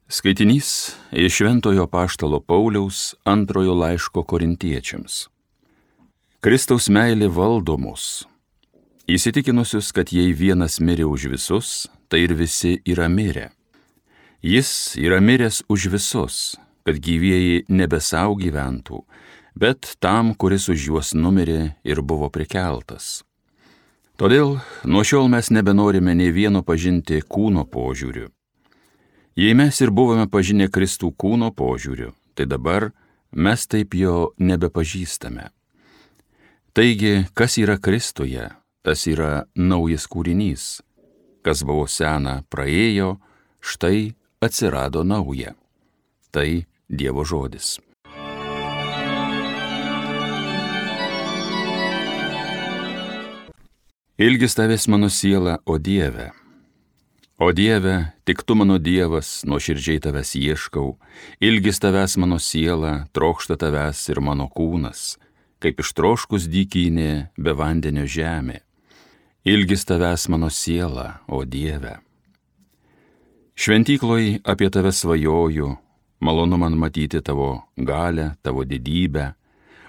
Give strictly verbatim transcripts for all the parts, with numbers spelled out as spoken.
Skaitinys iš Šventojo apaštalo Pauliaus antrojo laiško Korintiečiams. Kristaus meilė valdo mus, įsitikinusius, kad jei vienas mirė už visus, tai ir visi yra mirę. Jis yra miręs už visus, kad gyvieji nebe sau gyventų, bet tam, kuris už juos numirė ir buvo prikeltas. Todėl nuo šiol mes nebenorime nei vieno pažinti kūno požiūriu. Jei mes ir buvome pažinę Kristų kūno požiūriu, tai dabar mes taip jo nebepažįstame. Taigi, kas yra Kristuje, tas yra naujas kūrinys. Kas buvo sena praėjo, štai atsirado nauja. Tai Dievo žodis. Ilgis tavęs mano siela, o Dieve. O Dieve, tik tu mano Dievas, nuoširdžiai tavęs ieškau, ilgis tavęs mano siela, trokšta tavęs ir mano kūnas, kaip ištroškus dykynė be vandenio žemė. Ilgis tavęs mano siela, o Dieve. Šventykloj apie tave svajoju, malonu man matyti tavo galę, tavo didybę,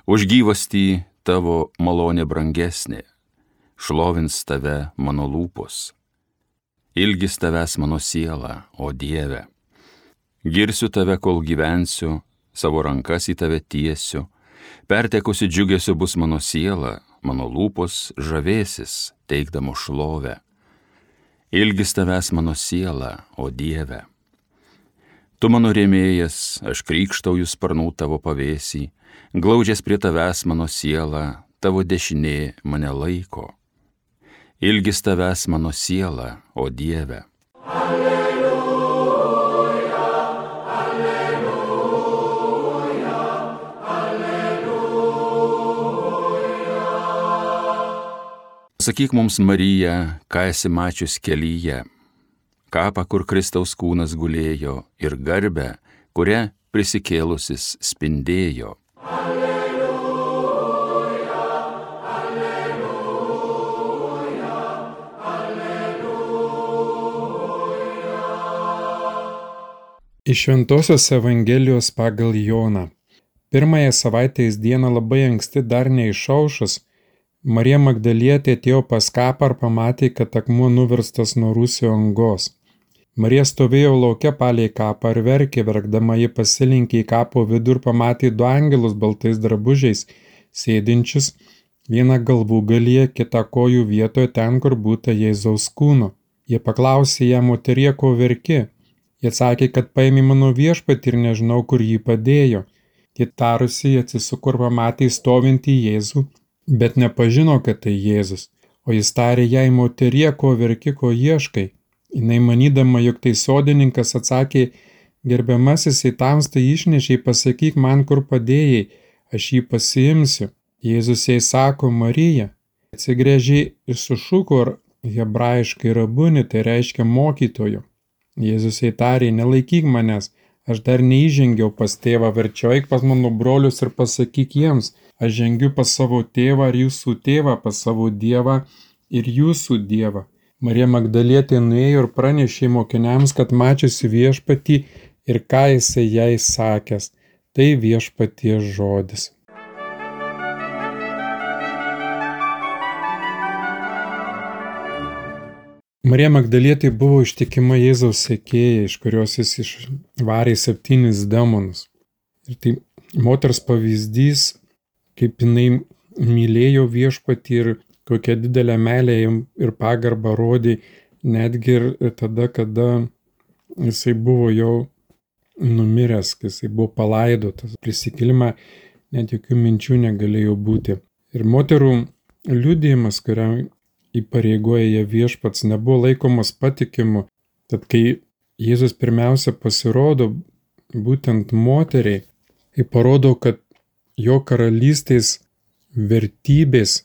už gyvastį tavo malonė brangesnė, šlovins tave mano lūpos. Ilgis tavęs mano siela, o Dieve. Girsiu tave, kol gyvensiu, savo rankas į tave tiesiu, pertekusi džiugesiu bus mano siela, mano lūpos žavėsis, teikdamo šlovę. Ilgis tavęs mano siela, o Dieve. Tu mano rėmėjas, aš krykštauju sparnų tavo pavėsį, glaudžias prie tavęs mano siela, tavo dešinė mane laiko. Ilgis tavęs mano siela, o Dieve. Alleluja, alleluja, alleluja. Sakyk mums, Marija, ką esi mačius kelyje, kapą, kur Kristaus kūnas gulėjo, ir garbę, kuria prisikėlusis spindėjo. Iš Šventosios Evangelijos pagal Joną. Pirmąją savaitės dieną labai anksti dar neišaušus, Marija Magdalietė atėjo pas kapą ir pamatė, kad akmuo nuverstas nuo rūsio angos. Marija stovėjo lauke palei kapą ir verkė, verkdama ji pasilinkė į kapo vidų ir pamatė du angelus baltais drabužiais, sėdinčius, vieną galvų galyje, kitą kojų vietoje ten, kur būta Jėzaus kūno. Jie paklausė ją, moterie, ko verki? Jie atsakė, kad paėmė mano viešpatį ir nežinau, kur jį padėjo. Jie tarusi atsisuko ir pamatė stovintį Jėzų, bet nepažino, kad tai Jėzus. O jis tarė jai, moterie, ko verki, ko ieškai. Jinai manydama, jog tai sodininkas, atsakė, gerbiamasis, į tamstą išnešei, pasakyk man, kur padėjai, aš jį pasiimsiu. Jėzus jai sako, Marija. Atsigręžė ir sušuko, ir hebrajiškai rabuni, tai reiškia mokytojo. Jėzus jai tarė, nelaikyk manęs, aš dar neįžengiau pas tėvą, verčiau eik pas mano brolius ir pasakyk jiems, aš žengiu pas savo tėvą ir jūsų tėvą, pas savo Dievą ir jūsų Dievą. Marija Magdalietė nuėjo ir pranešė mokiniams, kad mačiusi viešpatį ir ką jisai jai sakęs. Tai viešpaties žodis. Marija Magdalietė buvo ištikima Jėzaus sekėja, iš kurios jis išvarė septynis demonus. Ir tai moters pavyzdys, kaip jinai mylėjo viešpatį ir kokią didelę meilę ir pagarbą rodė, netgi ir tada, kada jisai buvo jau numiręs, kai jisai buvo palaidotas. Prisikėlimą net jokių minčių negalėjo būti. Ir moterų liudijimas, kuriam įpareigoja jie viešpats, nebuvo laikomas patikimu. Tad kai Jėzus pirmiausia pasirodo būtent moteriai, tai parodo, kad jo karalystės vertybės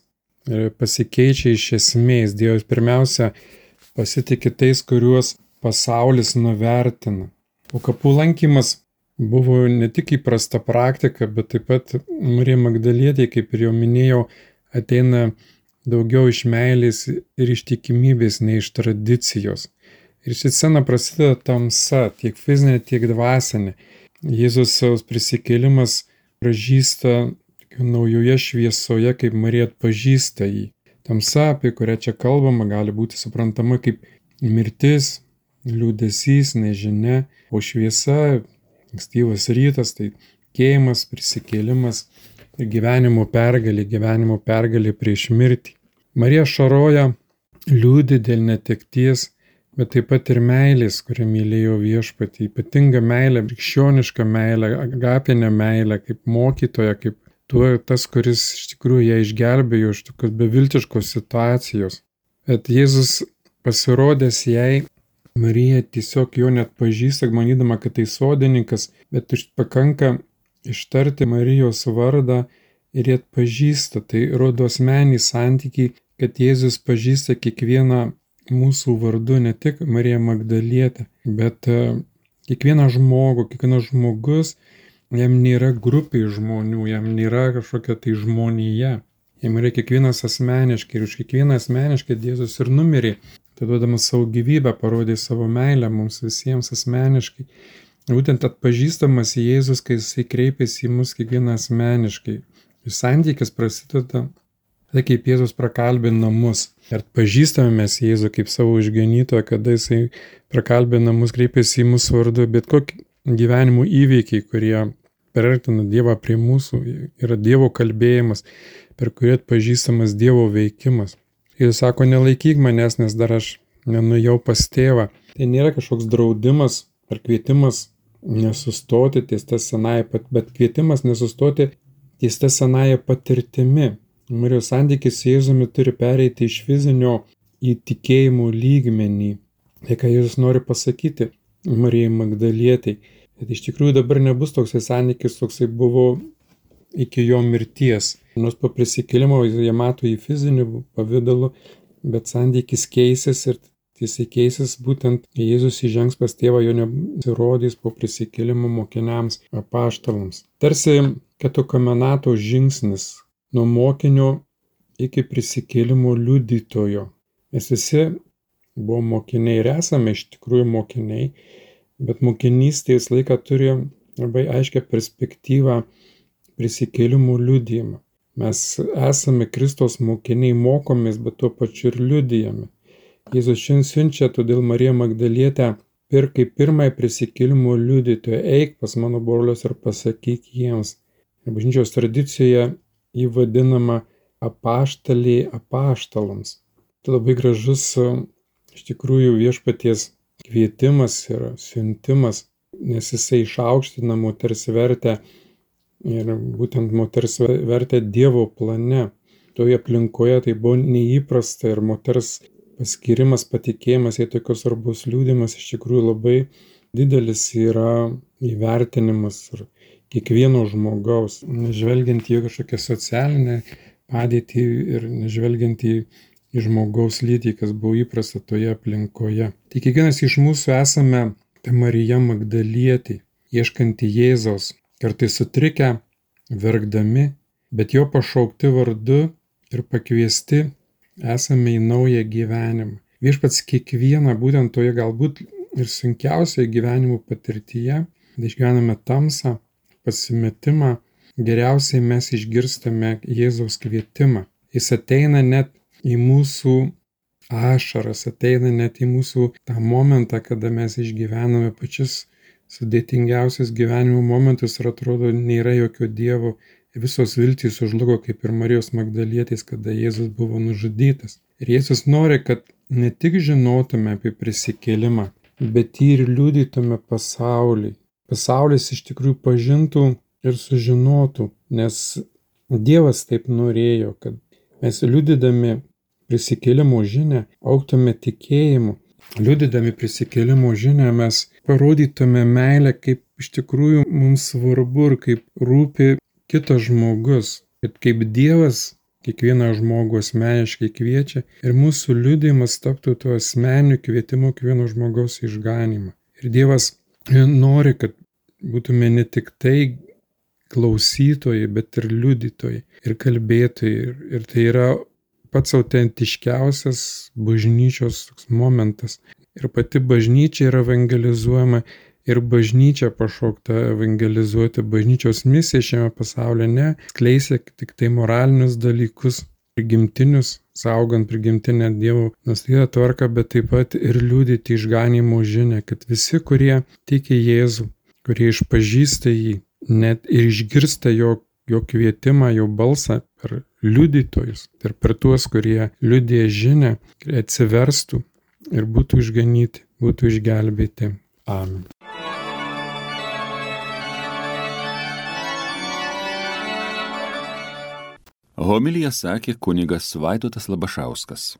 pasikeičia iš esmės. Dievas pirmiausia pasitikė tais, kuriuos pasaulis nuvertina. O kapų lankymas buvo ne tik įprasta praktika, bet taip pat Marija Magdalietė, kaip ir jau minėjau, ateina daugiau iš meilės ir ištikimybės nei iš tradicijos. Ir ši scena prasideda tamsa, tiek fizinė, tiek dvasinė. Jėzus savo prisikėlimas pražįsta naujoje šviesoje, kaip Marija atpažįsta jį. Tamsa, apie kurią čia kalbama, gali būti suprantama kaip mirtis, liūdesys, nežinia, o šviesa, ankstyvas rytas, tai tikėjimas, prisikėlimas ir gyvenimo pergalė, gyvenimo pergalė prieš mirtį. Marija šaroja liūdį dėl netekties, bet taip pat ir meilės, kurią mylėjo Viešpatį, ypatinga meilė, krikščioniška meilė, agapinė meilė, kaip mokytoja, kaip tuo tas, kuris iš tikrųjų ją išgelbėjo iš tokios beviltiškos situacijos. Bet Jėzus pasirodęs jai, Marija tiesiog jo net pažįsta, manydama, kad tai sodininkas, bet pakanka ištarti Marijos vardą ir jie atpažįsta. Tai rodo asmenį santykį, kad Jėzus pažįsta kiekvieną mūsų vardu, ne tik Mariją Magdalietę, bet kiekvieną žmogų, kiekvienas žmogus, jam nėra grupiai žmonių, jam nėra kažkokia tai žmonija. Jam yra kiekvienas asmeniškai ir už kiekvieną asmeniškai Jėzus ir numirė. Tai duodamas savo gyvybę, parodė savo meilę mums visiems asmeniškai. Būtent atpažįstamas Jėzus, kai jisai kreipėsi į mus kiekvieną asmeniškai. Ir santykis prasideda, tai kaip Jėzus prakalbina mus. Ir atpažįstame mes Jėzų kaip savo išganytoją, kada jisai prakalbina mus, kreipėsi į mūsų vardu, bet kokie gyvenimo įvykiai, kurie perartina Dievą prie mūsų, yra Dievo kalbėjimas, per kurį atpažįstamas Dievo veikimas. Jis sako, nelaikyk manęs, nes dar aš nenuėjau pas tėvą. Tai nėra kažkoks draudimas ar kvietimas nesustoti ties tą senąją, bet kvietimas nesustoti ties tą senąją patirtimi. Marijos santykis su Jėzumi turi pereiti iš fizinio į tikėjimo lygmenį. Tai ką Jėzus nori pasakyti Marijai Magdalietei, kad iš tikrųjų dabar nebus toksai santykis, toksai buvo iki jo mirties. Nors po prisikėlimo jie mato jį fiziniu pavidalu, bet santykis keisis ir jisai keisis būtent Jėzus įžengs pas tėvą, jo nesirodys po prisikėlimo mokiniams, apaštalams. Tarsi katokomenato žingsnis nuo mokinio iki prisikėlimo liudytojo. Mes visi buvom mokiniai ir esame iš tikrųjų mokiniai, bet mokinystės laiką turi labai aiškią perspektyvą prisikėlimo liudijimą. Mes esame Kristaus mokiniai, mokomės, bet tuo pačiu ir liudijame. Jėzus šiandien siunčia todėl Mariją Magdalietę ir kaip pirmąją prisikėlimo liudytoją, eik pas mano brolius ir pasakyk jiems. Ir bažnyčios tradicijoje jį vadinama apaštalė apaštalams. Tai labai gražus iš tikrųjų Viešpaties kvietimas ir siuntimas, nes jisai išaukština moters vertę ir būtent moters vertę Dievo plane. Toje aplinkoje tai buvo neįprasta ir moters paskirimas, patikėjimas, jei tokios svarbus liudimas iš tikrųjų labai didelis yra įvertinimas ir kiekvieno žmogaus, nežvelgiant į kažkokią socialinę padėtį ir nežvelgiant į, į žmogaus lytį, kas buvo įprasta toje aplinkoje. Tai kiekvienas iš mūsų esame ta Marija Magdalietė, ieškanti Jėzaus, kartais sutrikę, verkdami, bet jo pašaukti vardu ir pakviesti esame į naują gyvenimą. Viešpats kiekvieną būtent toje galbūt ir sunkiausioje gyvenimo patirtyje, kai išgyvename tamsą, pasimetimą, geriausiai mes išgirstame Jėzaus kvietimą. Jis ateina net į mūsų ašaras, ateina net į mūsų tą momentą, kada mes išgyvename pačius sudėtingiausius gyvenimo momentus ir atrodo nėra jokio Dievo. Visos viltys sužlugo kaip ir Marijos Magdalietės, kada Jėzus buvo nužudytas. Ir Jėzus nori, kad ne tik žinotume apie prisikėlimą, bet jį ir liudytume pasauliui. Pasaulis iš tikrųjų pažintų ir sužinotų, nes Dievas taip norėjo, kad mes liudydami prisikėlimo žinią augtume tikėjimu. Liudydami prisikėlimo žinią mes parodytume meilę, kaip iš tikrųjų mums svarbu ir kaip rūpi kitas žmogus, kad kaip Dievas kiekvieną žmogų asmeniškai kviečia ir mūsų liudijimas taptų tuo asmeniniu kvietimu kiekvieno žmogaus išganymą. Ir Dievas nori, kad būtume ne tik tai klausytojai, bet ir liudytojai ir kalbėtojai. Ir, ir tai yra pats autentiškiausias bažnyčios toks momentas. ir pati bažnyčia yra evangelizuojama, ir bažnyčia pašaukta evangelizuoti. Bažnyčios misija šiame pasaulyje ne skleisia tik tai moralinius dalykus, prigimtinius, saugant prigimtinę Dievo nustatytą tvarką, bet taip pat ir liudyti išganimo žinią, kad visi, kurie tiki Jėzų, kurie išpažįsta jį, net ir išgirsta jo, jo kvietimą, jo balsą per liudytojus ir per tuos, kurie liudija žinią, atsiverstų ir būtų išganyti, būtų išgelbėti. Amen. Homiliją sakė kunigas Vaidotas Labašauskas.